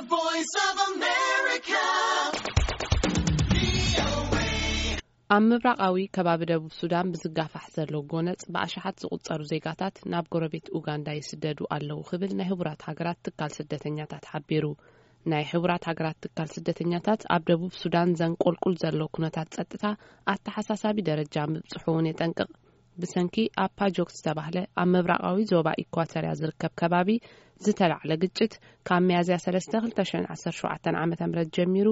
Voice of America. ኣብ ምብራቓዊ ከባቢ ደቡብ ሱዳን ብዝጋፋሕ ዘሎ ጎነጽ ብኣሽሓት ዝቑጸሩ ዜጋታት ናብ ጎረቤት ኡጋንዳ ይስደዱ ኣለዉ ክብል ናይ ህቡራት ሃገራት ትካል ስደተኛታት ሓቢሩ። ናይ ህቡራት ሃገራት ትካል ስደተኛታት ኣብ ደቡብ ሱዳን ዘንቆልቁል ዘሎ ኩነታት ጸጥታ ኣተሓሳሳቢ ደረጃ ምብጽሑ እውን የጠንቅቕ። ብሰንኪ ኣብ ፓጆክ ዝተባህለ ኣብ ምብራቓዊ ዞባ ኢኳተርያ ዝርከብ ከባቢ ዝተላዕለ ግጭት ካብ ሚያዝያ ሰለስተ ክልተ ሽሕን ዓሰርተ ሸውዓተን ዓመተ ምህረት ጀሚሩ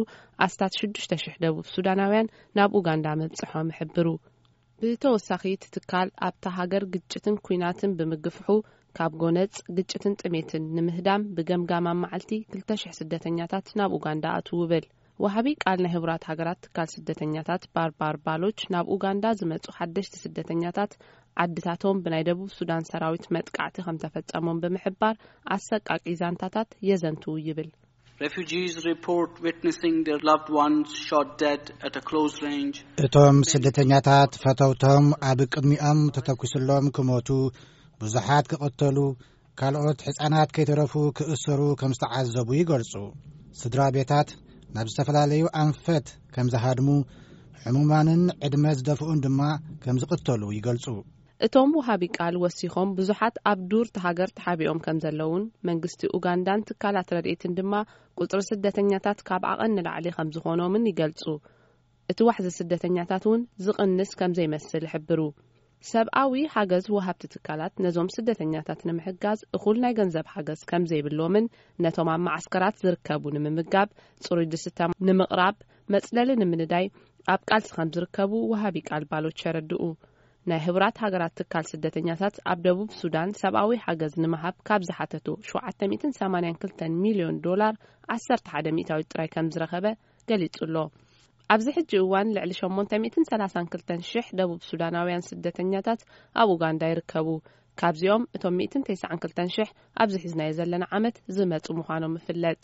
ኣስታት ሽዱሽተ ሽሕ ደቡብ ሱዳናውያን ናብ ኡጋንዳ ምብጽሖም ይሕብሩ። ብተወሳኺ እቲ ትካል ኣብታ ሃገር ግጭትን ኲናትን ብምግፍሑ ካብ ጎነጽ ግጭትን ጥሜትን ንምህዳም ብገምጋም ኣብ መዓልቲ ክልተ ሽሕ ስደተኛታት ናብ ኡጋንዳ ኣትዉ ይብል። ወሃቢ ቃል ናይ ህቡራት ሃገራት ትካል ስደተኛታት ባርባር ባሎች ናብ ኡጋንዳ ዝመጹ ሓደሽቲ ስደተኛታት ዓድታቶም ብናይ ደቡብ ሱዳን ሰራዊት መጥቃዕቲ ከም ተፈጸሞም ብምሕባር ኣሰቃቂ ዛንታታት የዘንትዉ ይብል። Refugees report witnessing their loved ones shot dead at a close range. እቶም ስደተኛታት ፈተውቶም ኣብ ቅድሚኦም ተተኩስሎም ክሞቱ፣ ብዙሓት ክቐተሉ፣ ካልኦት ሕፃናት ከይተረፉ ክእሰሩ ከም ዝተዓዘቡ ይገልጹ። ስድራ ቤታት ናብ ዝተፈላለዩ ኣንፈት ከም ዝሃድሙ፣ ሕሙማንን ዕድመ ዝደፍኡን ድማ ከም ዝቕተሉ ይገልጹ። እቶም ወሃቢ ቃል ወሲኾም ብዙሓት ኣብ ዱር ሃገር ተሓቢኦም ከም ዘለውን መንግስቲ ኡጋንዳን ትካላት ረድኤትን ድማ ቁጽሪ ስደተኛታት ካብ ዓቐን ንላዕሊ ከም ዝኾኖምን ይገልጹ። እቲ ዋሕዚ ስደተኛታት እውን ዝቕንስ ከም ዘይመስል ይሕብሩ። ሰብኣዊ ሓገዝ ወሃብቲ ትካላት ነዞም ስደተኛታት ንምሕጋዝ እኹል ናይ ገንዘብ ሓገዝ ከም ዘይብሎምን ነቶም ኣብ መዓስከራት ዝርከቡ ንምምጋብ፣ ጽሩይ ድስታ ንምቕራብ፣ መጽለሊ ንምንዳይ ኣብ ቃልሲ ከም ዝርከቡ ወሃቢ ቃል ባሎች የረድኡ። ናይ ህቡራት ሃገራት ትካል ስደተኛታት ኣብ ደቡብ ሱዳን ሰብኣዊ ሓገዝ ንምሃብ ካብ ዝሓተቱ ሸውዓተ ሚእትን ሰማንያን ክልተን ሚልዮን ዶላር ዓሰርተ ሓደ ሚእታዊት ጥራይ ከም ዝረኸበ ገሊጹ ኣሎ። ኣብዚ ሕጂ እዋን ልዕሊ ሸሞንተ ሚእትን ሰላሳን ክልተን ሽሕ ደቡብ ሱዳናውያን ስደተኛታት ኣብ ኡጋንዳ ይርከቡ። ካብዚኦም እቶም ሚእትን ተስዓን ክልተን ሽሕ ኣብዚ ሒዝናዮ ዘለና ዓመት ዝመጹ ምዃኖም ይፍለጥ።